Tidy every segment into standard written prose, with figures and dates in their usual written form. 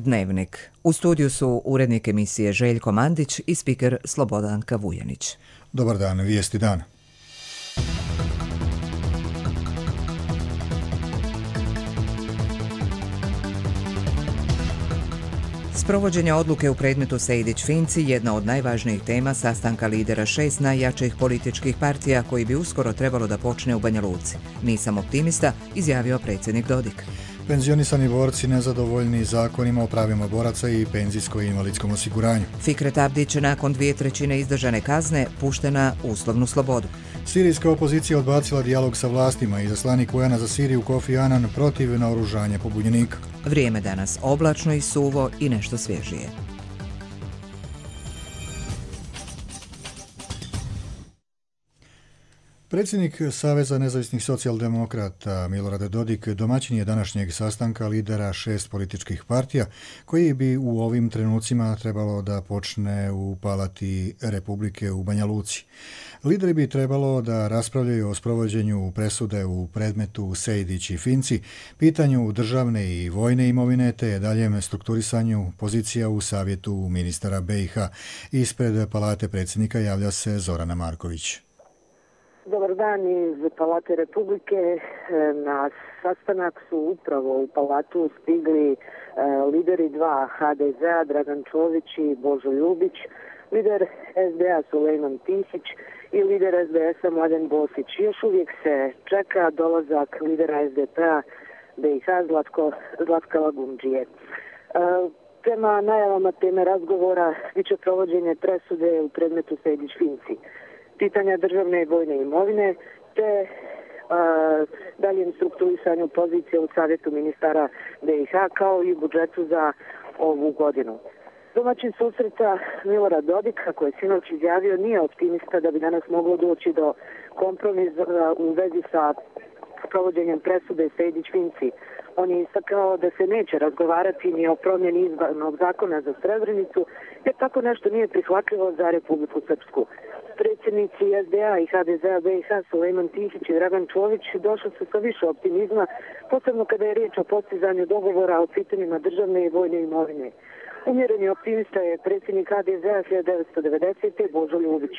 Dnevnik. U studiju su urednik emisije Željko Mandić i spiker Slobodanka Vujanić. Dobar dan, vijesti dana. Sprovođenje odluke u predmetu Sejdić-Finci jedna od najvažnijih tema sastanka lidera 6 najjačih političkih partija koji bi uskoro trebalo da počne u Banja Luci. Nisam optimista, izjavio predsjednik Dodik. Penzionisani borci nezadovoljni zakonima o pravima boraca i penzijsko-invalidskom osiguranju. Fikret Abdić nakon 2/3 izdržane kazne pušten na uslovnu slobodu. Sirijska opozicija odbacila dijalog sa vlastima i izaslanik UN-a za Siriju Kofi Annan protiv naoružanja pobunjenika. Vrijeme danas oblačno i suvo i nešto svježije. Predsjednik Saveza nezavisnih socijaldemokrata Milorad Dodik domaćin je današnjeg sastanka lidera 6 političkih partija koji bi u ovim trenucima trebalo da počne u Palati Republike u Banja Luci. Lideri bi trebalo da raspravljaju o sprovođenju presude u predmetu Sejdić i Finci, pitanju državne i vojne imovine te daljem strukturisanju pozicija u savjetu ministara BiH. Ispred Palate predsjednika javlja se Zorana Marković. Dobar dan iz Palate Republike. Na sastanak su upravo u Palatu stigli lideri 2 HDZ-a, Dragan Čović i Božo Ljubić, lider SDA Sulejman Tihić i lider SDS-a Mladen Bosić. Još uvijek se čeka dolazak lidera SDP-a BiH Zlatka Lagumdžije. Prema najavama teme razgovora biće provođenje presude u predmetu Sejdić-Finci, pitanja državne i vojne imovine, te daljem strukturisanju pozicije u savjetu ministara BiH kao i budžetu za ovu godinu. Domaćin susreta Milorad Dodik, kako je sinoć izjavio, nije optimista da bi danas moglo doći do kompromisa u vezi sa provođenjem presude Sejdić-Finci. On je istakao da se neće razgovarati ni o promjeni izbornog zakona za Srebrenicu, jer tako nešto nije prihvatljivo za Republiku Srpsku. Predsjednici SDA i HDZ-a BiH Sulejman Tihić i Dragan Čović došli su sa više optimizma, posebno kada je riječ o postizanju dogovora o pitanjima državne i vojne imovine. Umjereni optimista je predsjednik HDZ-a 1990. Božo Ljubić.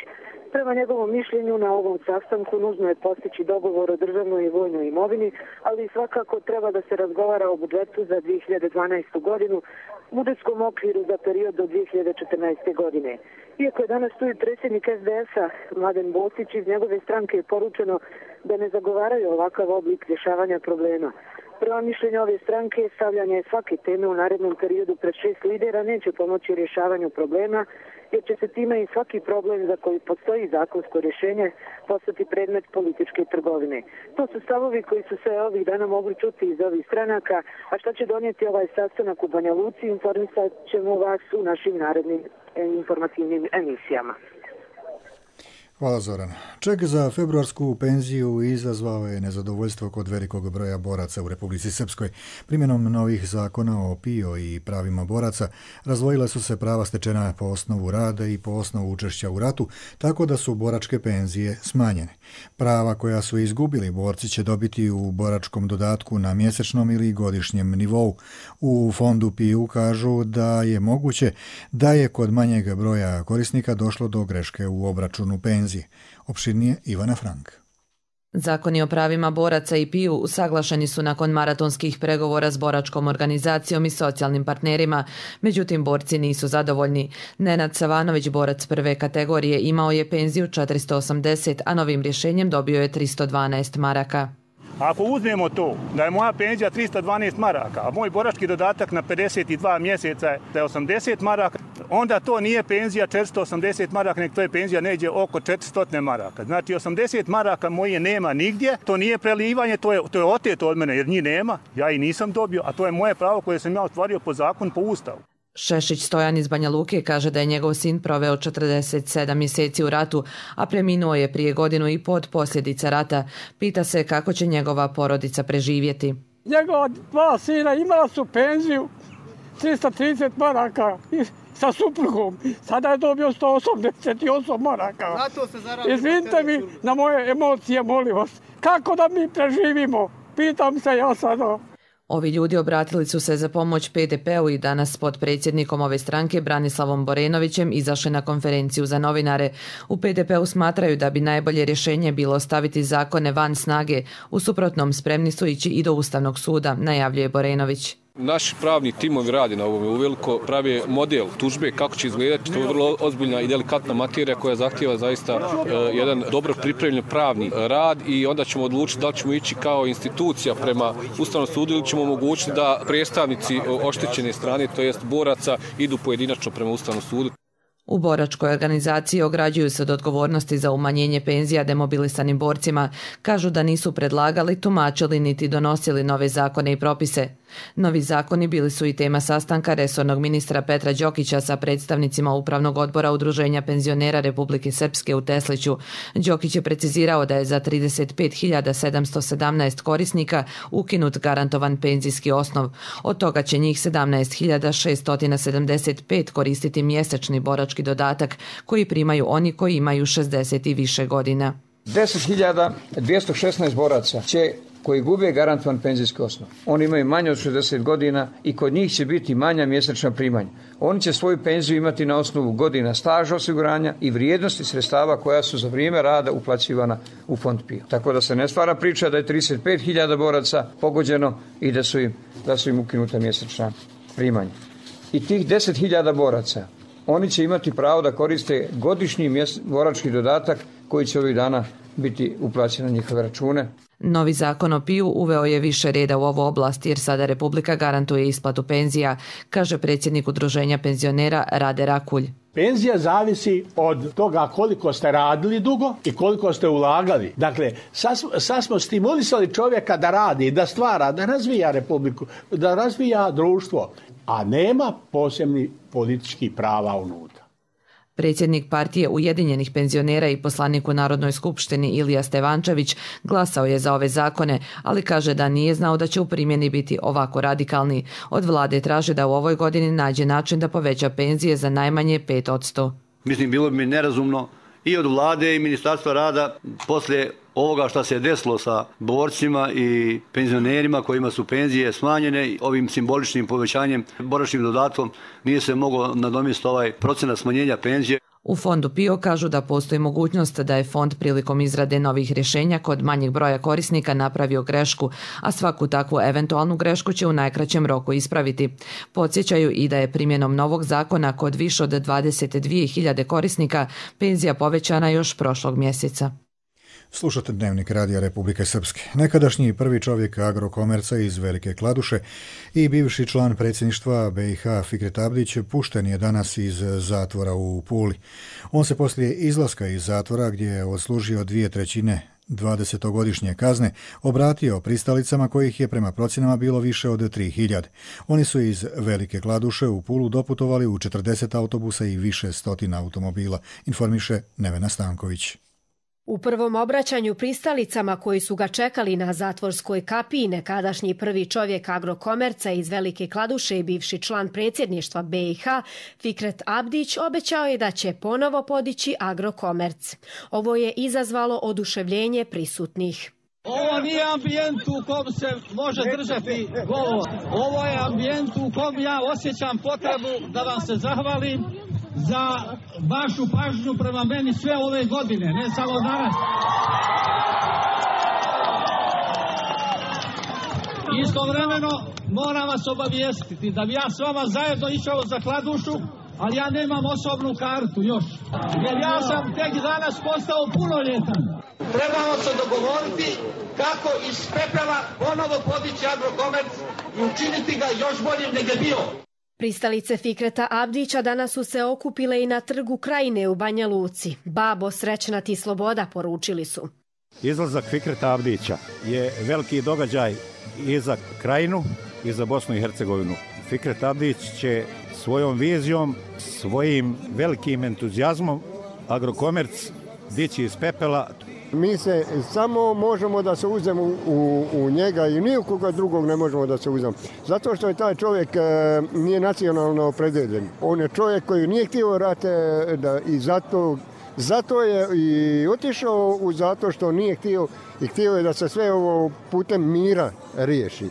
Prema njegovom mišljenju na ovom sastanku nužno je postići dogovor o državnoj i vojnoj imovini, ali svakako treba da se razgovara o budžetu za 2012. godinu, budžetskom okviru za period do 2014. godine. Iako je danas tu i predsjednik SDS-a Mladen Bosić, iz njegove stranke je poručeno da ne zagovaraju ovakav oblik rješavanja problema. Prema mišljenju ove stranke, stavljanje svake teme u narednom periodu pred 6 lidera neće pomoći rješavanju problema, jer će se time i svaki problem za koji postoji zakonsko rješenje postati predmet političke trgovine. To su stavovi koji su se ovih dana mogli čuti iz ovih stranaka, a šta će donijeti ovaj sastanak u Banja Luci, informisat ćemo vas u našim narednim informativnim emisijama. Hvala Zoran. Ček za februarsku penziju izazvao je nezadovoljstvo kod velikog broja boraca u Republici Srpskoj. Primjenom novih zakona o PIO i pravima boraca razdvojila su se prava stečena po osnovu rada i po osnovu učešća u ratu, tako da su boračke penzije smanjene. Prava koja su izgubili borci će dobiti u boračkom dodatku na mjesečnom ili godišnjem nivou. U fondu PIO kažu da je moguće da je kod manjeg broja korisnika došlo do greške u obračunu penzije. Opširnije Ivana Frank. Zakoni o pravima boraca i PIO usaglašeni su nakon maratonskih pregovora s boračkom organizacijom i socijalnim partnerima, međutim borci nisu zadovoljni. Nenad Savanović, borac prve kategorije, imao je penziju 480, a novim rješenjem dobio je 312 maraka. Ako uzmemo to da je moja penzija 312 maraka, a moj borački dodatak na 52 mjeseca je 80 maraka, onda to nije penzija 480 maraka, nek to je penzija neđe oko 400 maraka. Znači 80 maraka moje nema nigdje, to nije prelivanje, to je oteto od mene jer njih nema, ja i nisam dobio, a to je moje pravo koje sam ja ostvario po zakonu, po ustavu. Šešić Stojan iz Banja Luke kaže da je njegov sin proveo 47 mjeseci u ratu, a preminuo je prije 1.5 godine od posljedica rata. Pita se kako će njegova porodica preživjeti. Njegova 2 sina imala su penziju 330 maraka sa suprugom. Sada je dobio 188 maraka. Izvinite mi na moje emocije, molim vas. Kako da mi preživimo? Pitam se ja sada. Ovi ljudi obratili su se za pomoć PDP-u i danas pod predsjednikom ove stranke Branislavom Borenovićem izašli na konferenciju za novinare. U PDP-u smatraju da bi najbolje rješenje bilo staviti zakone van snage, u suprotnom spremni su ići i do Ustavnog suda, najavljuje Borenović. Naši pravni timovi radi na ovome uveliko, pravi model tužbe kako će izgledati. To je vrlo ozbiljna i delikatna materija koja zahtijeva zaista jedan dobro pripremljen pravni rad i onda ćemo odlučiti da li ćemo ići kao institucija prema Ustavnom sudu ili ćemo omogućiti da predstavnici oštećene strane, to jest boraca, idu pojedinačno prema Ustavnom sudu. U boračkoj organizaciji ograđuju se od odgovornosti za umanjenje penzija demobilisanim borcima. Kažu da nisu predlagali, tumačili niti donosili nove zakone i propise. Novi zakoni bili su i tema sastanka resornog ministra Petra Đokića sa predstavnicima Upravnog odbora Udruženja penzionera Republike Srpske u Tesliću. Đokić je precizirao da je za 35.717 korisnika ukinut garantovan penzijski osnov. Od toga će njih 17.675 koristiti mjesečni borački dodatak koji primaju oni koji imaju 60 i više godina. 10.216 boraca koji gube garantovan penzijski osnov. Oni imaju manje od 60 godina i kod njih će biti manja mjesečna primanja. Oni će svoju penziju imati na osnovu godina staža osiguranja i vrijednosti sredstava koja su za vrijeme rada uplaćivana u fond PIO. Tako da se ne stvara priča da je 35.000 boraca pogođeno i da su im ukinuta mjesečna primanja. I tih 10.000 boraca, oni će imati pravo da koriste godišnji borački dodatak koji će ovih dana biti uplaćen na njihove račune. Novi zakon o PIO uveo je više reda u ovu oblast jer sada Republika garantuje isplatu penzija, kaže predsjednik Udruženja penzionera Rade Rakulj. Penzija zavisi od toga koliko ste radili dugo i koliko ste ulagali. Dakle, sad smo stimulisali čovjeka da radi, da stvara, da razvija Republiku, da razvija društvo, a nema posebnih političkih prava unutra. Predsjednik partije Ujedinjenih penzionera i poslanik u Narodnoj skupštini Ilija Stevančević glasao je za ove zakone, ali kaže da nije znao da će u primjeni biti ovako radikalni. Od vlade traže da u ovoj godini nađe način da poveća penzije za najmanje 5%. Mislim, bilo bi mi nerazumno i od vlade i Ministarstva rada poslije ovoga što se je desilo sa borcima i penzionerima kojima su penzije smanjene, ovim simboličnim povećanjem boračnim dodatkom nije se moglo nadomjestiti ovaj procenat smanjenja penzije. U fondu PIO kažu da postoji mogućnost da je fond prilikom izrade novih rješenja kod manjeg broja korisnika napravio grešku, a svaku takvu eventualnu grešku će u najkraćem roku ispraviti. Podsjećaju i da je primjenom novog zakona kod više od 22.000 korisnika penzija povećana još prošlog mjeseca. Slušate Dnevnik Radija Republike Srpske. Nekadašnji prvi čovjek Agrokomerca iz Velike Kladuše i bivši član predsjedništva BiH Fikret Abdić pušten je danas iz zatvora u Puli. On se poslije izlaska iz zatvora, gdje je odslužio 2/3 20-godišnje kazne, obratio pristalicama kojih je prema procjenama bilo više od 3.000. Oni su iz Velike Kladuše u Pulu doputovali u 40 autobusa i više stotina automobila, informiše Nevena Stanković. U prvom obraćanju pristalicama koji su ga čekali na zatvorskoj kapiji, nekadašnji prvi čovjek Agrokomerca iz Velike Kladuše i bivši član predsjedništva BiH Fikret Abdić obećao je da će ponovo podići Agrokomerc. Ovo je izazvalo oduševljenje prisutnih. Ovo nije ambijent u kom se može držati govor. Ovo je ambijent u kom ja osjećam potrebu da vam se zahvalim za vašu pažnju prema meni sve ove godine, ne samo danas. Istovremeno moram vas obavijestiti da bi ja s vama zajedno išao za Kladušu, ali ja nemam osobnu kartu još, jer ja sam tek danas postao punoljetan. Trebamo se dogovoriti kako iz pepela ponovo podići Agrokomerc i učiniti ga još boljim nego je bio. Pristalice Fikreta Abdića danas su se okupile i na Trgu Krajine u Banja Luci. Babo, srećna ti sloboda, poručili su. Izlazak Fikreta Abdića je veliki događaj i za Krajinu i za Bosnu i Hercegovinu. Fikret Abdić će svojom vizijom, svojim velikim entuzijazmom Agrokomerc dići iz pepela. Mi se samo možemo da se uzemo u njega i nikoga drugog ne možemo da se uzemo. Zato što je taj čovjek nije nacionalno opredeljen. On je čovjek koji nije htio rate i zato je i otišao u zato što nije htio i htio je da se sve ovo putem mira riješi.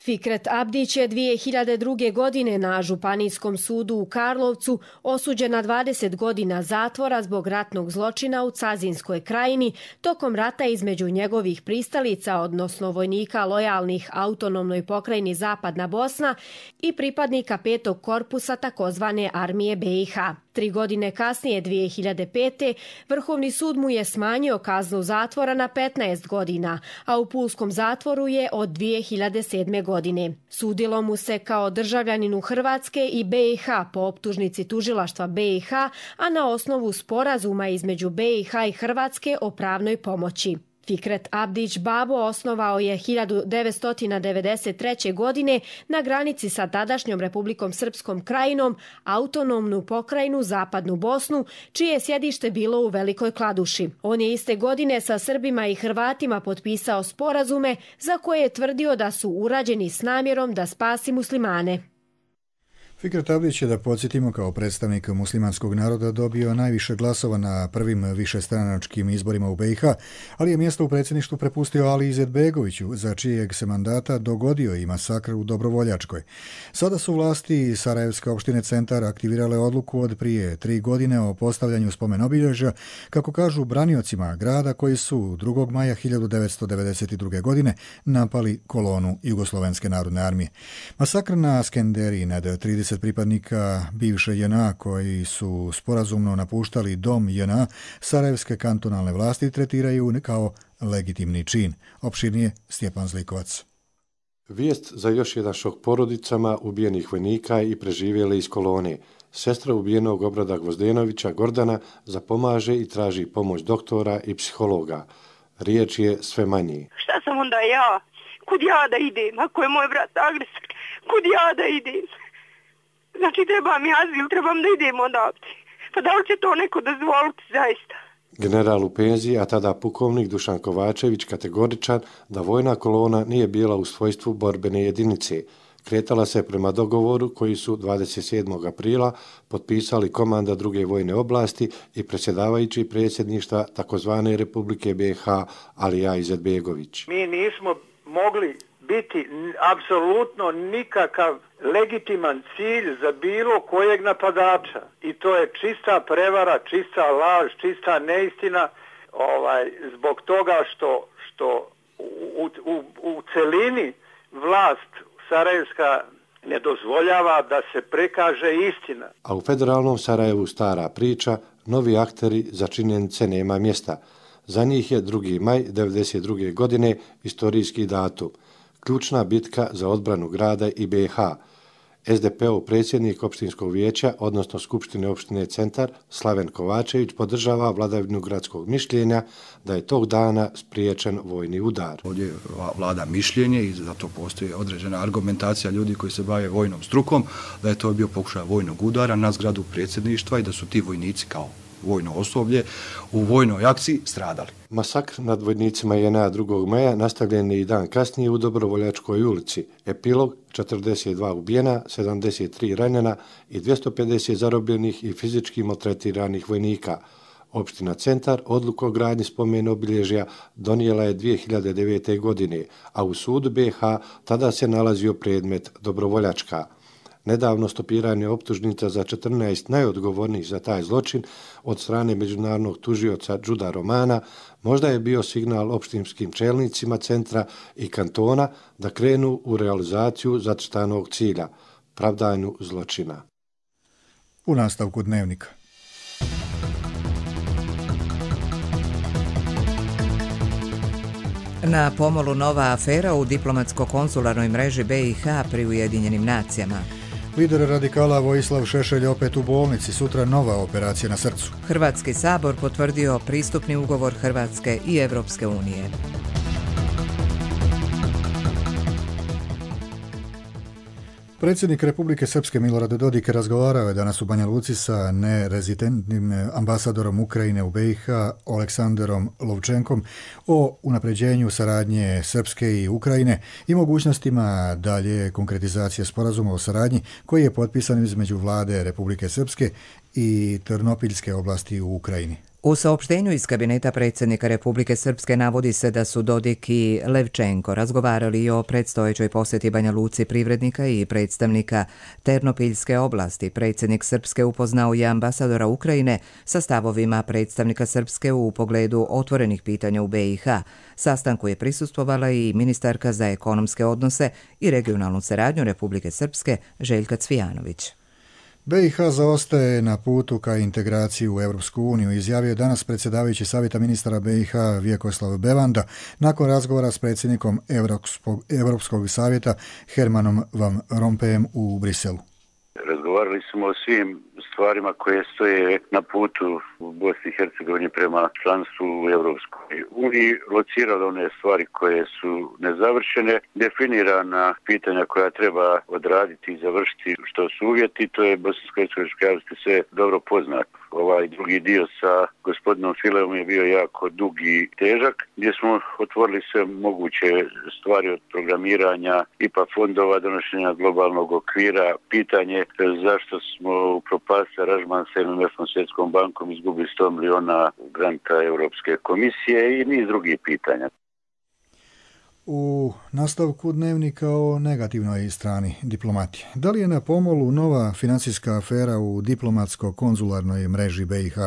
Fikret Abdić je 2002. godine na Županijskom sudu u Karlovcu osuđen na 20 godina zatvora zbog ratnog zločina u Cazinskoj krajini tokom rata između njegovih pristalica, odnosno vojnika lojalnih autonomnoj pokrajini Zapadna Bosna i pripadnika 5. korpusa takozvane armije BiH. 3 godine kasnije, 2005. Vrhovni sud mu je smanjio kaznu zatvora na 15 godina, a u pulskom zatvoru je od 2007. godine. Sudilo mu se kao državljaninu Hrvatske i BiH po optužnici tužilaštva BiH, a na osnovu sporazuma između BiH i Hrvatske o pravnoj pomoći. Fikret Abdić Babo osnovao je 1993. godine na granici sa tadašnjom Republikom Srpskom krajinom autonomnu pokrajinu Zapadnu Bosnu, čije je sjedište bilo u Velikoj Kladuši. On je iste godine sa Srbima i Hrvatima potpisao sporazume za koje je tvrdio da su urađeni s namjerom da spasi muslimane. Fikret Abdić je, da podsjetimo, kao predstavnik muslimanskog naroda dobio najviše glasova na prvim višestranačkim izborima u BiH, ali je mjesto u predsjedništvu prepustio Ali Izetbegoviću, za čijeg se mandata dogodio i masakr u Dobrovoljačkoj. Sada su vlasti Sarajevske opštine Centar aktivirale odluku od prije 3 godine o postavljanju spomen obilježja, kako kažu braniocima grada koji su 2. maja 1992. godine napali kolonu Jugoslovenske narodne armije. Masakr na Skenderiji nad 30 pripadnika bivše JNA koji su sporazumno napuštali dom JNA, sarajevske kantonalne vlasti tretiraju kao legitimni čin. Opširnije Stjepan Zlikovac. Vijest za još jedan šok porodicama ubijenih vojnika i preživjele iz kolone. Sestra ubijenog Obrada Gvozdenovića, Gordana, zapomaže i traži pomoć doktora i psihologa. Riječ je sve manji. Šta sam onda ja? Kud ja da idem? Ako je moj brat agresor, kud ja da idem? Znači treba mi azil, trebam da idem odavde. Pa da li će to neko dozvoliti zaista? General u penziji, a tada pukovnik Dušan Kovačević kategoričan da vojna kolona nije bila u svojstvu borbene jedinice. Kretala se prema dogovoru koji su 27. aprila potpisali komanda druge vojne oblasti i predsjedavajući predsjedništva takozvane Republike BiH Alija Izetbegović. Mi nismo mogli biti apsolutno nikakav legitiman cilj za bilo kojeg napadača. I to je čista prevara, čista laž, čista neistina, zbog toga što u celini vlast sarajevska ne dozvoljava da se prikaže istina. A u federalnom Sarajevu stara priča, novi akteri za činjenice nema mjesta. Za njih je 2. maj 1992. godine istorijski datum. Ključna bitka za odbranu grada i BiH. SDP-ov predsjednik opštinskog vijeća, odnosno Skupštine opštine Centar, Slaven Kovačević, podržava vladavinu gradskog mišljenja da je tog dana spriječen vojni udar. Ovdje vlada mišljenje i zato postoji određena argumentacija ljudi koji se bave vojnom strukom, da je to bio pokušaj vojnog udara na zgradu predsjedništva i da su ti vojnici kao vojno osoblje u vojnoj akciji stradali. Masakr nad vojnicima JNA 2. maja nastavljen je i dan kasnije u Dobrovoljačkoj ulici. Epilog: 42 ubijena, 73 ranjena i 250 zarobljenih i fizički maltretiranih vojnika. Opština Centar odluku o gradnji spomen obilježja donijela je 2009. godine, a u sudu BiH tada se nalazio predmet Dobrovoljačka. Nedavno stopiranje optužnica za 14 najodgovornijih za taj zločin od strane međunarodnog tužioca Đuda Romana možda je bio signal opštinskim čelnicima centra i kantona da krenu u realizaciju zacrtanog cilja, pravdanju zločina. U nastavku dnevnika. Na pomolu nova afera u diplomatsko-konzularnoj mreži BiH pri Ujedinjenim nacijama. Lider radikala Vojislav Šešelj opet u bolnici, sutra nova operacija na srcu. Hrvatski sabor potvrdio pristupni ugovor Hrvatske i Evropske unije. Predsjednik Republike Srpske Milorad Dodik razgovarao je danas u Banja Luci sa nerezidentnim ambasadorom Ukrajine u BiH Oleksanderom Lovčenkom o unapređenju saradnje Srpske i Ukrajine i mogućnostima dalje konkretizacije sporazuma o saradnji koji je potpisan između vlade Republike Srpske i Trnopiljske oblasti u Ukrajini. U saopštenju iz kabineta predsjednika Republike Srpske navodi se da su Dodik i Levčenko razgovarali i o predstojećoj posjeti Banja Luci privrednika i predstavnika Ternopiljske oblasti. Predsjednik Srpske upoznao je ambasadora Ukrajine sa stavovima predstavnika Srpske u pogledu otvorenih pitanja u BiH. Sastanku je prisustvovala i ministarka za ekonomske odnose i regionalnu saradnju Republike Srpske Željka Cvijanović. BiH zaostaje na putu ka integraciji u Europsku uniju, izjavio je danas predsjedavajući Savjeta ministara BiH Vjekoslav Bevanda nakon razgovora s predsjednikom Europskog savjeta Hermanom Van Rompujem u Briselu. Razgovarali smo o svim stvarima koje stoje na putu u Bosni i Hercegovini prema članstvu u Europskoj uniji, locirali one stvari koje su nezavršene, definirana pitanja koja treba odraditi i završiti što su uvjeti, to je bosansko-hercegovačkoj javnosti sve dobro poznato. Ovaj drugi dio sa gospodinom Filevom je bio jako dug i težak, gdje smo otvorili sve moguće stvari od programiranja, IPA fondova, donošenja globalnog okvira, pitanje zašto smo upropastili aranžman sa MMF-om, Svjetskom bankom, izgubili 100 miliona granta Europske komisije i niz drugih pitanja. U nastavku dnevnika o negativnoj strani diplomatije. Da li je na pomolu nova financijska afera u diplomatsko-konzularnoj mreži BiH?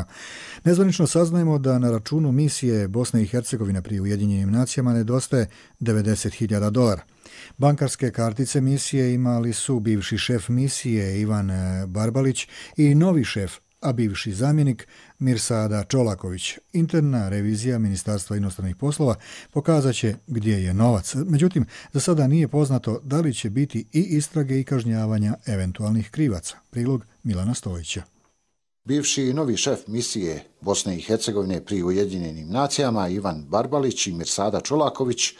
Nezvanično saznajemo da na računu misije Bosne i Hercegovine pri Ujedinjenim nacijama nedostaje $90.000. Bankarske kartice misije imali su bivši šef misije Ivan Barbalić i novi šef, a bivši zamjenik Mirsada Čolaković. Interna revizija Ministarstva inostranih poslova pokazat će gdje je novac. Međutim, za sada nije poznato da li će biti i istrage i kažnjavanja eventualnih krivaca. Prilog Milana Stojića. Bivši i novi šef misije Bosne i Hercegovine pri Ujedinjenim nacijama Ivan Barbalić i Mirsada Čolaković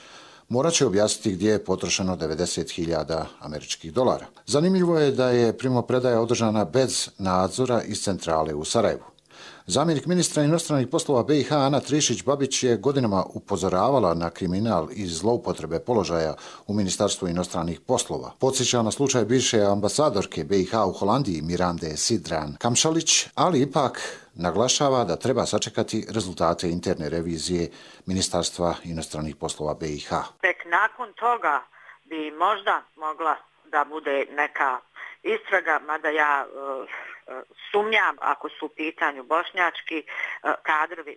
morat će objasniti gdje je potrošeno $90.000. Zanimljivo je da je primopredaja održana bez nadzora iz centrale u Sarajevu. Zamjenik ministra inostranih poslova BiH Ana Trišić-Babić je godinama upozoravala na kriminal i zloupotrebe položaja u Ministarstvu inostranih poslova. Podsjeća na slučaj bivše ambasadorke BiH u Holandiji Mirande Sidran Kamšalić, ali ipak naglašava da treba sačekati rezultate interne revizije Ministarstva inostranih poslova BiH. Tek nakon toga bi možda mogla da bude neka istraga, mada ja sumnjam ako su u pitanju bošnjački kadrovi,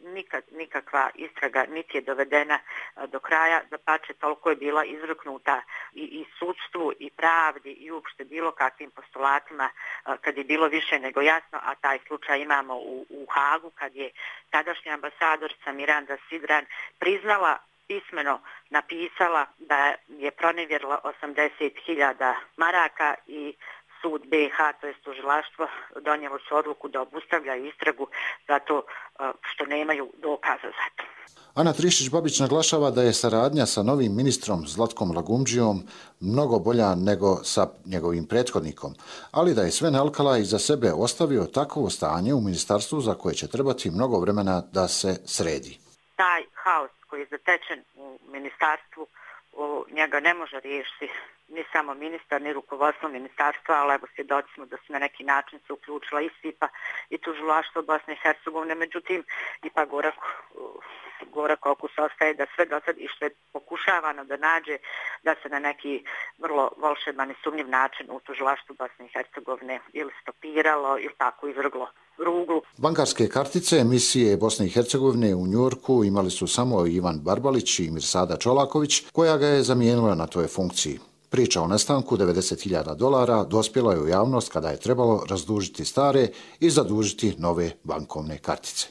nikakva istraga niti je dovedena do kraja, dapače toliko je bila izruknuta i sudstvu i pravdi i uopšte bilo kakvim postulatima kad je bilo više nego jasno, a taj slučaj imamo u Hagu kad je tadašnja ambasadorica Miranda Sidran priznala, pismeno napisala da je pronevjerila 80.000 maraka i sud BiH, to je tužilaštvo, donijelo su odluku da obustavljaju istragu zato što nemaju dokaza za to. Ana Trišić-Babić naglašava da je saradnja sa novim ministrom Zlatkom Lagumdžijom mnogo bolja nego sa njegovim prethodnikom, ali da je Sven Alkala iza sebe ostavio takvo stanje u ministarstvu za koje će trebati mnogo vremena da se sredi. Taj haos koji je zatečen u ministarstvu, njega ne može riješiti ni samo ministar, ni rukovodstvo ministarstva, ali evo svjedoci smo da su na neki način se uključila i SIPA i tužilaštvo Bosne i Hercegovine, međutim ipak gorak okus ostaje da sve do sad i što je pokušavano da nađe da se na neki vrlo volšeban i sumnjiv način u tužilaštvu Bosne i Hercegovine ili stopiralo ili tako izvrglo ruglu. Bankarske kartice misije Bosne i Hercegovine u Njujorku imali su samo Ivan Barbalić i Mirsada Čolaković, koja ga je zamijenila na toj funkciji. Priča o nestanku $90.000 dospjela je u javnost kada je trebalo razdužiti stare i zadužiti nove bankovne kartice.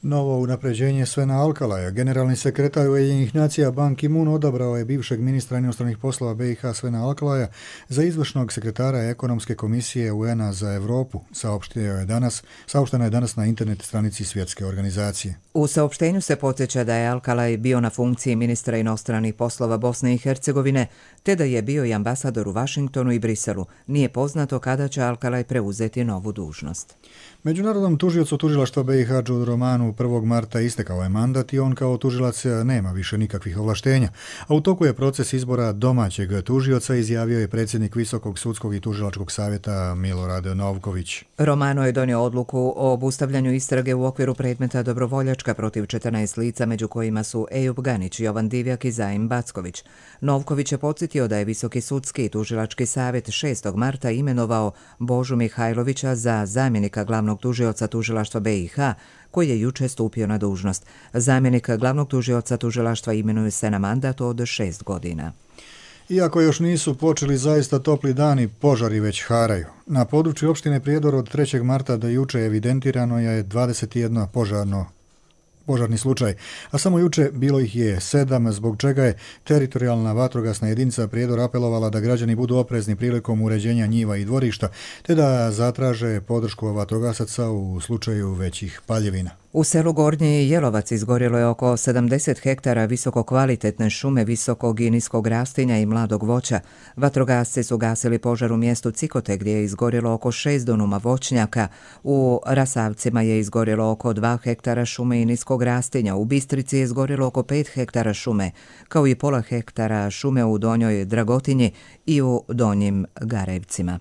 Novo unapređenje Svena Alkalaja. Generalni sekretar Ujedinjenih nacija Ban Ki-moon odabrao je bivšeg ministra inostranih poslova BiH Svena Alkalaja za izvršnog sekretara ekonomske komisije UN-a za Europu, saopšteno je danas na internet stranici Svjetske organizacije. U saopštenju se podsjeća da je Alkalaj bio na funkciji ministra inostranih poslova Bosne i Hercegovine, te da je bio i ambasador u Vašingtonu i Briselu. Nije poznato kada će Alkalaj preuzeti novu dužnost. Međunarodnom tužiocu tužilaštva BiH Đudu Romanu 1. marta istekao je mandat i on kao tužilac nema više nikakvih ovlaštenja, a u toku je proces izbora domaćeg tužioca, izjavio je predsjednik Visokog sudskog i tužilačkog savjeta Milorad Novković. Romano je donio odluku o obustavljanju istrage u okviru predmeta Dobrovoljačka protiv 14 lica, među kojima su Ejub Ganić, Jovan Divjak i Zaim Backović. Novković je podsjetio da je Visoki sudski i tužilački savjet 6. marta imenovao Božu Mihajlovića za zamjenika glavnog tužioca tužilaštva BiH, koji je juče stupio na dužnost. Zamjenik glavnog tužioca tužilaštva imenuje se na mandat od 6 godina. Iako još nisu počeli zaista topli dani, požari već haraju. Na području opštine Prijedor od 3. marta do juče evidentirano je 21 požarni slučaj, a samo juče bilo ih je 7, zbog čega je teritorijalna vatrogasna jedinica Prijedor apelovala da građani budu oprezni prilikom uređenja njiva i dvorišta, te da zatraže podršku vatrogasaca u slučaju većih paljevina. U selu Gornji Jelovac izgorjelo je oko 70 hektara visokokvalitetne šume visokog i niskog rastinja i mladog voća. Vatrogasci su gasili požar u mjestu Cikote gdje je izgorjelo oko 6 dunuma voćnjaka. U Rasavcima je izgorjelo oko 2 hektara šume i niskog rastinja. U Bistrici je izgorjelo oko 5 hektara šume, kao i pola hektara šume u Donjoj Dragotinji i u Donjim Garevcima.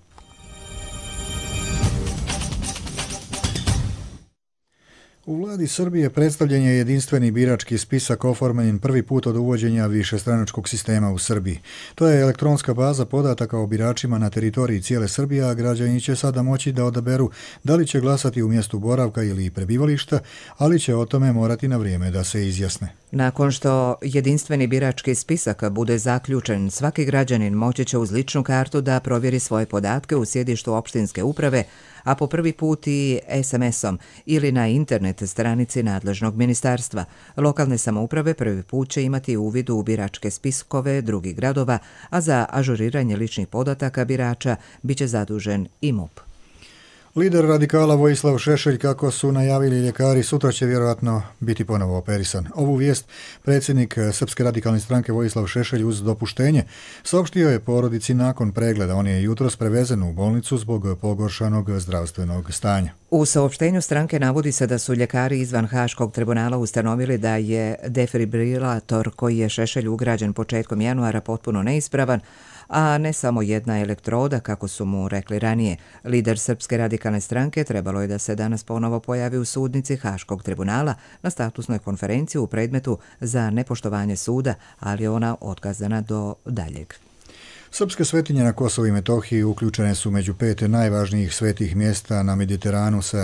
U vladi Srbije predstavljen je jedinstveni birački spisak oformljen prvi put od uvođenja višestranačkog sistema u Srbiji. To je elektronska baza podataka o biračima na teritoriji cijele Srbije, a građani će sada moći da odaberu da li će glasati u mjestu boravka ili prebivališta, ali će o tome morati na vrijeme da se izjasne. Nakon što jedinstveni birački spisak bude zaključen, svaki građanin moći će uz ličnu kartu da provjeri svoje podatke u sjedištu opštinske uprave, a po prvi put i SMS-om ili na internet stranici nadležnog ministarstva. Lokalne samouprave prvi put će imati uvid u biračke spiskove drugih gradova, a za ažuriranje ličnih podataka birača biće zadužen i MUP. Lider radikala Vojislav Šešelj, kako su najavili ljekari, sutra će vjerojatno biti ponovo operisan. Ovu vijest predsjednik Srpske radikalne stranke Vojislav Šešelj uz dopuštenje saopštio je porodici nakon pregleda. On je jutros prevezen u bolnicu zbog pogoršanog zdravstvenog stanja. U saopštenju stranke navodi se da su ljekari izvan Haškog tribunala ustanovili da je defibrilator koji je Šešelju ugrađen početkom januara potpuno neispravan, a ne samo jedna elektroda, kako su mu rekli ranije. Lider Srpske radikalne stranke trebalo je da se danas ponovo pojavi u sudnici Haškog tribunala na statusnoj konferenciji u predmetu za nepoštovanje suda, ali je ona otkazana do daljeg. Srpske svetinje na Kosovu i Metohiji uključene su među 5 najvažnijih svetih mjesta na Mediteranu sa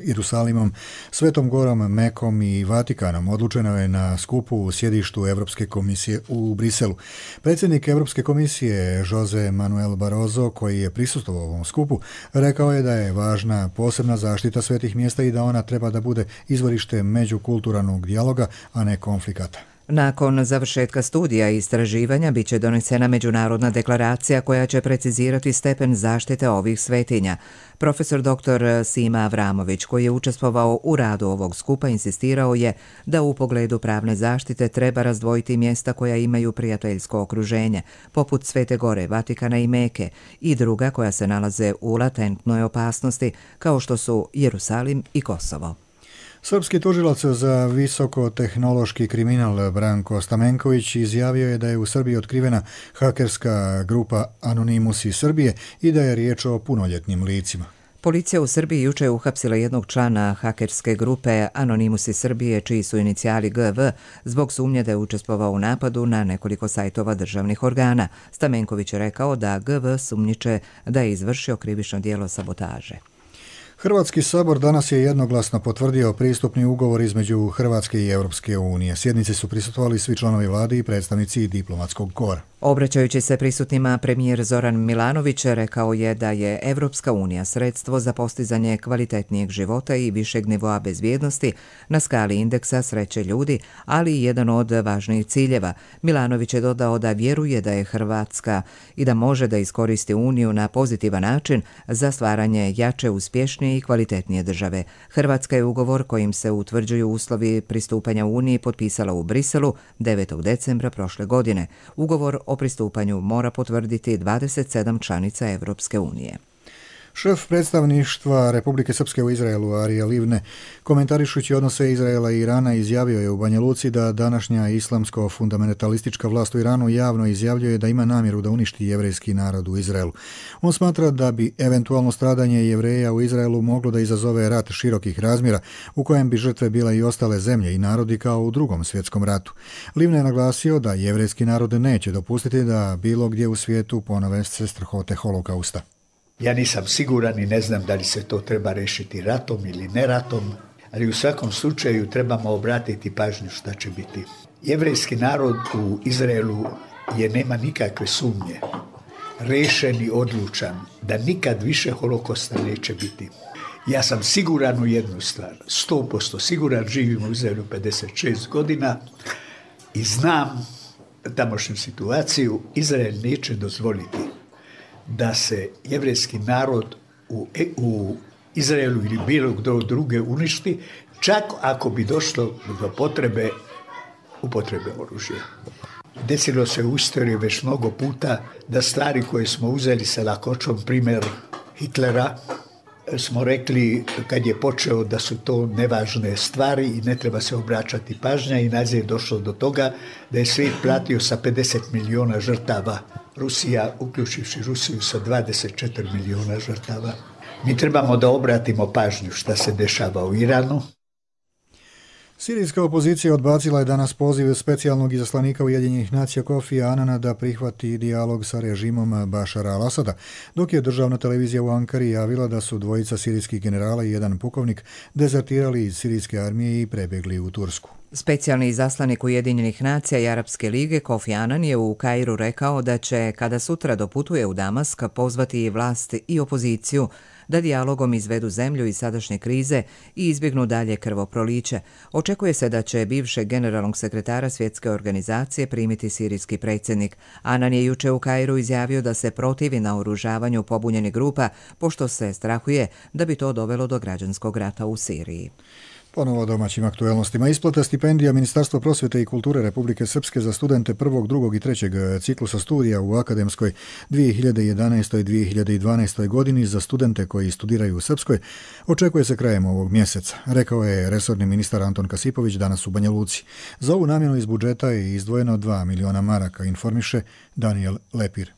Jerusalimom, Svetom Gorom, Mekom i Vatikanom. Odlučeno je na skupu u sjedištu Evropske komisije u Briselu. Predsjednik Evropske komisije Jose Manuel Barroso, koji je prisustvovao ovom skupu, rekao je da je važna posebna zaštita svetih mjesta i da ona treba da bude izvorište međukulturalnog dijaloga, a ne konflikata. Nakon završetka studija i istraživanja biće donesena međunarodna deklaracija koja će precizirati stepen zaštite ovih svetinja. Profesor dr. Sima Avramović, koji je učestvovao u radu ovog skupa, insistirao je da u pogledu pravne zaštite treba razdvojiti mjesta koja imaju prijateljsko okruženje, poput Svete Gore, Vatikana i Meke, i druga koja se nalaze u latentnoj opasnosti, kao što su Jerusalim i Kosovo. Srpski tužilac za visokotehnološki kriminal Branko Stamenković izjavio je da je u Srbiji otkrivena hakerska grupa Anonimus iz Srbije i da je riječ o punoljetnim licima. Policija u Srbiji juče je uhapsila jednog člana hakerske grupe Anonimus iz Srbije, čiji su inicijali GV, zbog sumnje da je učestvovao u napadu na nekoliko sajtova državnih organa. Stamenković je rekao da GV sumnjiče da je izvršio krivično djelo sabotaže. Hrvatski sabor danas je jednoglasno potvrdio pristupni ugovor između Hrvatske i Europske unije. Sjednici su prisustvovali svi članovi vlade i predstavnici diplomatskog kora. Obraćajući se prisutnima, premijer Zoran Milanović rekao je da je Evropska unija sredstvo za postizanje kvalitetnijeg života i višeg nivoa bezbjednosti na skali indeksa sreće ljudi, ali i jedan od važnijih ciljeva. Milanović je dodao da vjeruje da je Hrvatska i da može da iskoristi Uniju na pozitivan način za stvaranje jače, uspješnije i kvalitetnije države. Hrvatska je ugovor kojim se utvrđuju uslovi pristupanja Uniji potpisala u Briselu 9. decembra prošle godine. Ugovor o pristupanju mora potvrditi 27 članica Evropske unije. Šef predstavništva Republike Srpske u Izraelu, Arija Livne, komentarišući odnose Izraela i Irana, izjavio je u Banja Luci da današnja islamsko-fundamentalistička vlast u Iranu javno izjavljuje da ima namjeru da uništi jevrejski narod u Izraelu. On smatra da bi eventualno stradanje Jevreja u Izraelu moglo da izazove rat širokih razmjera u kojem bi žrtve bile i ostale zemlje i narodi kao u Drugom svjetskom ratu. Livne je naglasio da jevrejski narod neće dopustiti da bilo gdje u svijetu ponove se strahote holokausta. Ja nisam siguran i ne znam da li se to treba rešiti ratom ili ne ratom, ali u svakom slučaju trebamo obratiti pažnju šta će biti. Jevrejski narod u Izraelu nema nikakve sumnje, rešen i odlučan da nikad više holokosta neće biti. Ja sam siguran u jednu stvar, 100% siguran, živim u Izraelu 56 godina i znam tamošnju situaciju. Izrael neće dozvoliti da se jevrejski narod u Izraelu ili bilo gdje druge uništi, čak ako bi došlo do upotrebe oružja. Desilo se u istoriji već mnogo puta da stvari koje smo uzeli sa lakoćom, primjer Hitlera, smo rekli kad je počeo da su to nevažne stvari i ne treba se obraćati pažnja, i nazad je došlo do toga da je svijet platio sa 50 miliona žrtava, Rusija, uključivši Rusiju, sa 24 miliona žrtava. Mi trebamo da obratimo pažnju šta se dešava u Iranu. Sirijska opozicija odbacila je danas poziv specijalnog izaslanika Ujedinjenih nacija Kofija Anana da prihvati dijalog sa režimom Bašara al-Asada, dok je državna televizija u Ankari javila da su dvojica sirijskih generala i jedan pukovnik dezertirali iz sirijske armije i prebjegli u Tursku. Specijalni izaslanik Ujedinjenih nacija i Arapske lige Kofi Anan je u Kairu rekao da će, kada sutra doputuje u Damask, pozvati i vlast i opoziciju da dijalogom izvedu zemlju iz sadašnje krize i izbjegnu dalje krvoproliće. Očekuje se da će bivšeg generalnog sekretara Svjetske organizacije primiti sirijski predsjednik. Anan je juče u Kairu izjavio da se protivi naoružavanju pobunjenih grupa, pošto se strahuje da bi to dovelo do građanskog rata u Siriji. Ponovo domaćim aktuelnostima. Isplata stipendija Ministarstva prosvjete i kulture Republike Srpske za studente prvog, drugog i trećeg ciklusa studija u akademskoj 2011. i 2012. godini za studente koji studiraju u Srpskoj očekuje se krajem ovog mjeseca, rekao je resorni ministar Anton Kasipović danas u Banja Luci. Za ovu namjenu iz budžeta je izdvojeno 2 miliona maraka, informiše Daniel Lepir.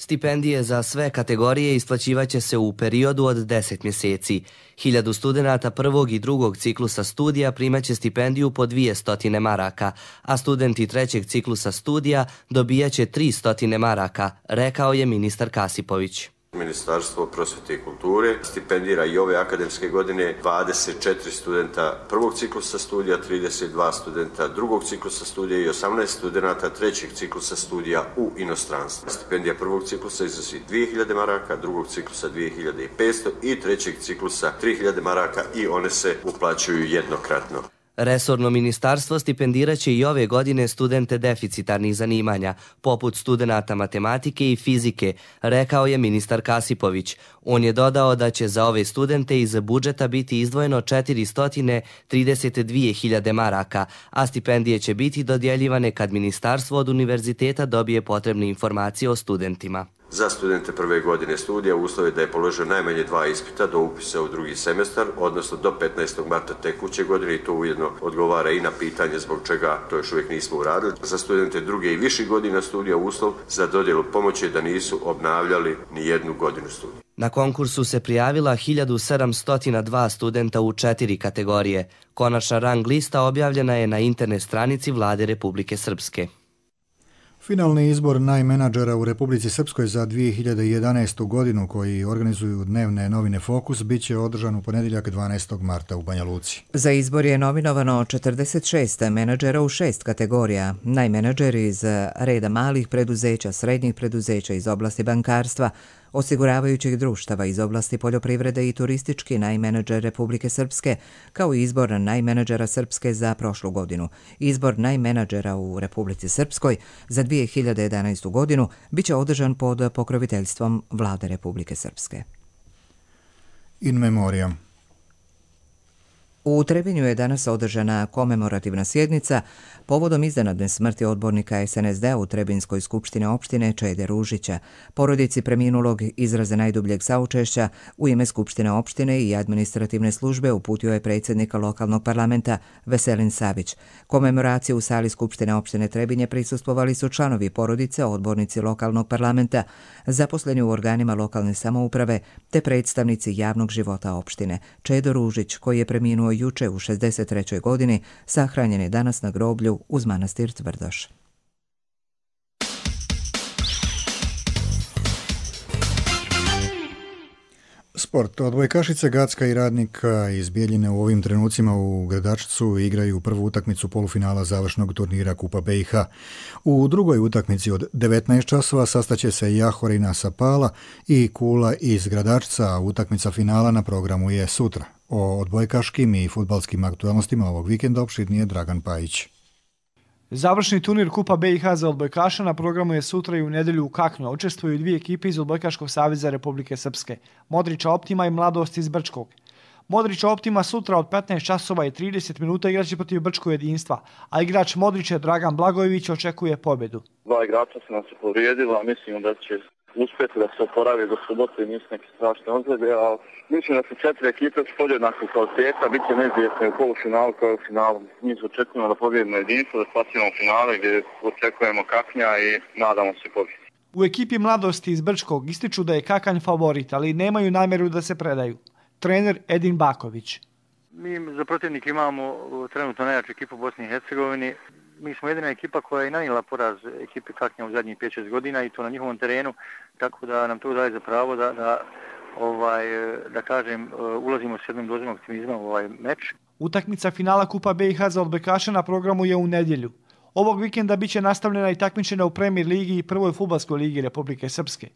Stipendije za sve kategorije isplaćivaće se u periodu od 10 mjeseci. 1000 studenata prvog i drugog ciklusa studija primaće stipendiju po 200 maraka, a studenti trećeg ciklusa studija dobijaće 300 maraka, rekao je ministar Kasipović. Ministarstvo prosvjete i kulture stipendira i ove akademske godine 24 studenta prvog ciklusa studija, 32 studenta drugog ciklusa studija i 18 studenta trećeg ciklusa studija u inostranstvu. Stipendija prvog ciklusa iznosi 2000 maraka, drugog ciklusa 2500 i trećeg ciklusa 3000 maraka i one se uplaćuju jednokratno. Resorno ministarstvo stipendirat će i ove godine studente deficitarnih zanimanja, poput studenata matematike i fizike, rekao je ministar Kasipović. On je dodao da će za ove studente iz budžeta biti izdvojeno 432.000 maraka, a stipendije će biti dodjeljivane kad ministarstvo od univerziteta dobije potrebne informacije o studentima. Za studente prve godine studija uslov je da je položio najmanje 2 ispita do upisa u drugi semestar, odnosno do 15. marta tekuće godine, i to ujedno odgovara i na pitanje zbog čega to još uvijek nismo uradili. Za studente druge i viših godina studija uslov za dodjelu pomoći je da nisu obnavljali ni jednu godinu studija. Na konkursu se prijavila 1702 studenta u 4 kategorije. Konačna rang lista objavljena je na internet stranici Vlade Republike Srpske. Finalni izbor najmenadžera u Republici Srpskoj za 2011. godinu, koji organizuju dnevne novine Fokus, bit će održan u ponedjeljak 12. marta u Banja Luci. Za izbor je nominovano 46 menadžera u 6 kategorija. Najmenadžeri iz reda malih preduzeća, srednjih preduzeća iz oblasti bankarstva, osiguravajućih društava iz oblasti poljoprivrede i turistički najmenadžer Republike Srpske, kao i izbor najmenadžera Srpske za prošlu godinu. Izbor najmenadžera u Republici Srpskoj za 2011. godinu biće održan pod pokroviteljstvom Vlade Republike Srpske. In memoriam. U Trebinju je danas održana komemorativna sjednica povodom iznenadne smrti odbornika SNSD-a u Trebinskoj skupštine opštine Čede Ružića. Porodici preminulog izraze najdubljeg saučešća u ime skupštine opštine i administrativne službe uputio je predsjednika lokalnog parlamenta Veselin Savić. Komemoraciju u sali skupštine opštine Trebinje prisustvovali su članovi porodice, odbornici lokalnog parlamenta, zaposleni u organima lokalne samouprave te predstavnici javnog života opštine. Čedo Ružić, koji je preminuo juče u 63. godini, sahranjen je danas na groblju uz manastir Tvrdoš. Sport. Odbojkašice Gacka i Radnika iz Bijeljine u ovim trenucima u Gradačcu igraju prvu utakmicu polufinala završnog turnira Kupa BiH. U drugoj utakmici od 19 časova sastaće se Jahorina sa Pala i Kula iz Gradačca, a utakmica finala na programu je sutra. O odbojkaškim i fudbalskim aktualnostima ovog vikenda opširnije Dragan Pajić. Završni turnir Kupa BiH za odbojkaša na programu je sutra i u nedjelju u Kaknju. Učestvuju dvije ekipe iz Odbojkaškog saveza Republike Srpske, Modrića Optima i Mladost iz Brčkog. Modrića Optima sutra od 15 časova i 30 minuta igraće protiv Brčkog jedinstva, a igrač Modrića Dragan Blagojević očekuje pobjedu. Dva igrača se nam se povrijedila, mislim da će uspjeti da se oporavi do subote, nisu neke strašne ozljede, a mislim da su 4 ekipe s podjednaku kvaliteta, bit će neizvjesne u polufinalu kao u finalu. Mi se očekujemo da pobjedimo jedinstvo, da spasimo finale gdje očekujemo Kaknja i nadamo se pobjedi. U ekipi Mladosti iz Brčkog ističu da je Kakanj favorit, ali nemaju namjeru da se predaju. Trener Edin Baković. Mi za protivnik imamo trenutno najjaču ekipu u Bosni i Hercegovini. Mi smo jedina ekipa koja je nanijela poraz ekipi Kaknja u zadnjih 5-6 godina i to na njihovom terenu, tako da nam to daje za pravo da kažem, ulazimo s jednom dozom optimizma u ovaj meč. Utakmica finala Kupa BiH za odbojkaše na programu je u nedjelju. Ovog vikenda bit će nastavljena i takmičenja u Premier ligi i prvoj fudbalskoj ligi Republike Srpske.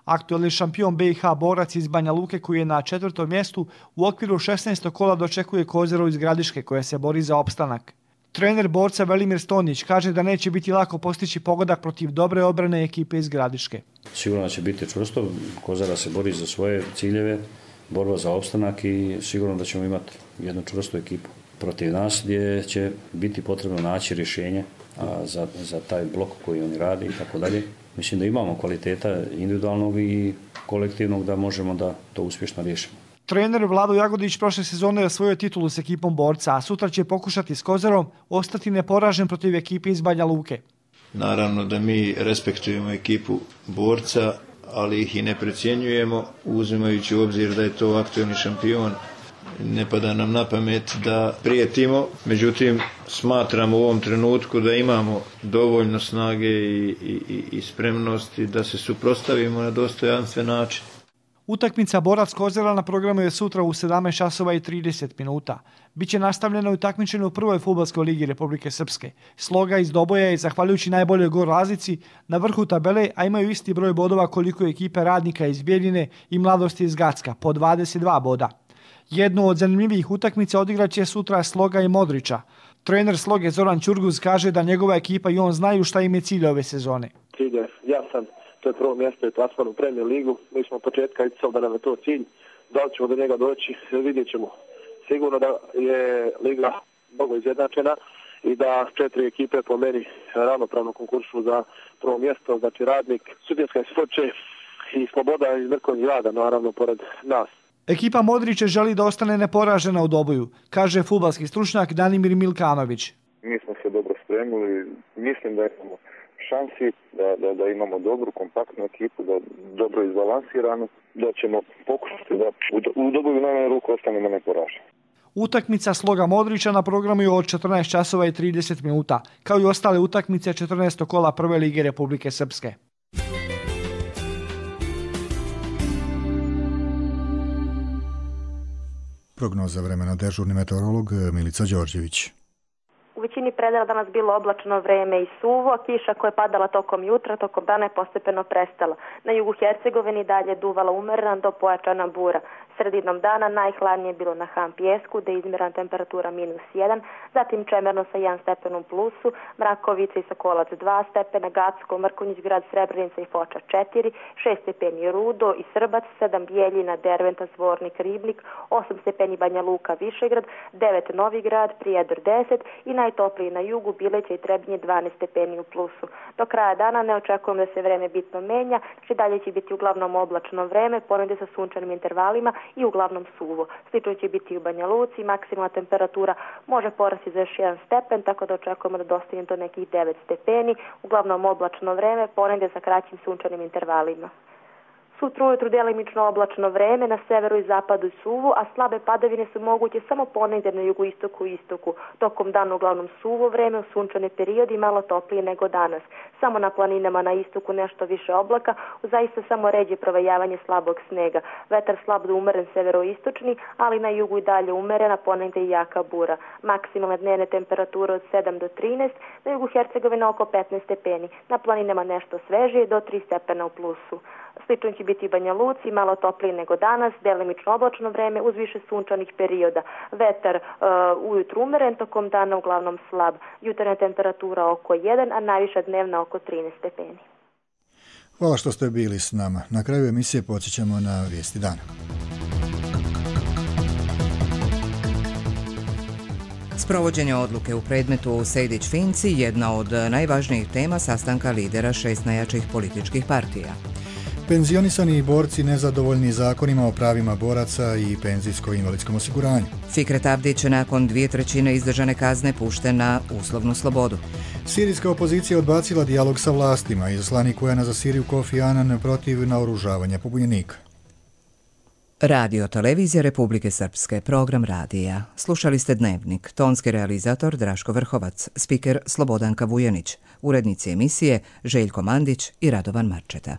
Aktualni šampion BiH borac iz Banja Luke, koji je na 4. mjestu, u okviru 16. kola dočekuje Kozero iz Gradiške, koja se bori za opstanak. Trener borca Velimir Stonić kaže da neće biti lako postići pogodak protiv dobre obrane ekipe iz Gradiške. Sigurno će biti čvrsto, Kozara se bori za svoje ciljeve, borba za opstanak i sigurno da ćemo imati jednu čvrstu ekipu protiv nas gdje će biti potrebno naći rješenje za taj blok koji oni rade i tako dalje. Mislim da imamo kvaliteta individualnog i kolektivnog da možemo da to uspješno riješimo. Trener Vlado Jagodić prošle sezone je osvojio titulu s ekipom borca, a sutra će pokušati s Kozarom ostati neporažen protiv ekipe iz Banja Luke. Naravno da mi respektujemo ekipu borca, ali ih i ne precjenjujemo, uzimajući u obzir da je to aktualni šampion. Ne pada nam na pamet da prijetimo, međutim smatramo u ovom trenutku da imamo dovoljno snage i spremnosti da se suprotstavimo na dostojanstven način. Utakmica borac Kozara na programu je sutra u 17 časova i 30 minuta. Biće nastavljena u takmičenju u prvoj fudbalskoj ligi Republike Srpske. Sloga iz Doboja je, zahvaljujući najboljoj gol razlici, na vrhu tabele, a imaju isti broj bodova koliko ekipe Radnika iz Bijeljine i Mladosti iz Gacka, po 22 boda. Jednu od zanimljivih utakmica odigraće sutra Sloga i Modrića. Trener Sloge Zoran Ćurguz kaže da njegova ekipa i on znaju šta im je cilj ove sezone. Cilj je jasan, to je prvo mjesto i plasman u Premier ligu. Mi smo od početka isticali da nam je to cilj. Da li ćemo do njega doći, vidjet ćemo. Sigurno da je liga mnogo izjednačena i da 4 ekipe po meni ravnopravno konkursu za prvo mjesto, znači Radnik, Sudjetska iz Foče i Sloboda iz Mrkovnih Rada, naravno pored nas. Ekipa Modrića želi da ostane neporažena u Doboju, kaže fudbalski stručnjak Danimir Milkanović. Mi smo se dobro spremili, mislim da imamo šansi, da imamo dobru, kompaktnu ekipu, da dobro izbalansiranu, da ćemo pokušati da u Doboju najmanje ruku ostanemo neporaženi. Utakmica Sloga Modrića na programu je od 14 časova i 30 minuta, kao i ostale utakmice 14. kola prve lige Republike Srpske. Prognoza vremena, dežurni meteorolog Milica Đorđević. U većini predela danas bilo oblačno vreme i suvo, kiša koja je padala tokom jutra, tokom dana je postepeno prestala. Na jugu Hercegovini dalje duvala umerena do pojačana bura. Sredinom dana najhladnije je bilo na Ham Pijesku, gde je izmjerena temperatura -1, zatim Čemerno sa 1 stepen u plusu, Mrakovica i Sokolac 2 stepena, Gacko, Mrkonjić, Grad Srebrenica i Foča 4, 6 stepeni Rudo i Srbac, 7 Bijeljina, Derventa, Zvornik, Ribnik, 8 stepeni Banja Luka, Višegrad, 9 Novi Grad, Prijedor 10 i najtopliji na jugu Bileća i Trebinje 12 stepeni u plusu. Do kraja dana ne očekujem da se vreme bitno menja, znači dalje će biti uglavnom oblačno vreme, ponegdje sa sunčanim intervalima i uglavnom suvo. Slično će biti i u Banja Luci, maksimalna temperatura može porasti za još 1 stepen, tako da očekujemo da dostigne do nekih 9 stepeni, uglavnom oblačno vreme, ponegdje sa kraćim sunčanim intervalima. Sutra ujutru delimično oblačno vreme, na severu i zapadu i suvo, a slabe padavine su moguće samo ponegdje na jugoistoku i istoku. Tokom dana uglavnom suvo vreme, u sunčane periodi malo toplije nego danas. Samo na planinama na istoku nešto više oblaka, u zaista samo ređe provejavanje slabog snega. Vetar slab do umeren severoistočni, ali na jugu i dalje umerena, ponegdje i jaka bura. Maksimalne dnevne temperature od 7 do 13, na jugu Hercegovine oko 15 stepeni. Na planinama nešto svežije do 3 stepena u plusu. Slično će biti i Banja Luci, malo toplije nego danas, delimično oblačno vreme uz više sunčanih perioda. Vetar ujutru umeren, tokom dana uglavnom slab. Jutarnja temperatura oko 1, a najviša dnevna oko 13 stepeni. Hvala što ste bili s nama. Na kraju emisije podsjećamo na vijesti dana. Sprovođenje odluke u predmetu Sejdić-Finci jedna od najvažnijih tema sastanka lidera 6 najjačih političkih partija. Penzionisani borci nezadovoljni zakonima o pravima boraca i penzijsko-invalidskom osiguranju. Fikret Abdić nakon 2/3 izdržane kazne pušten na uslovnu slobodu. Sirijska opozicija odbacila dijalog sa vlastima. Izaslanik UN za Siriju Kofi Annan protiv naoružavanja pobunjenika. Radio Televizija Republike Srpske, program radija. Slušali ste Dnevnik, tonski realizator Draško Vrhovac, spiker Slobodanka Vujanić, urednici emisije Željko Mandić i Radovan Marčeta.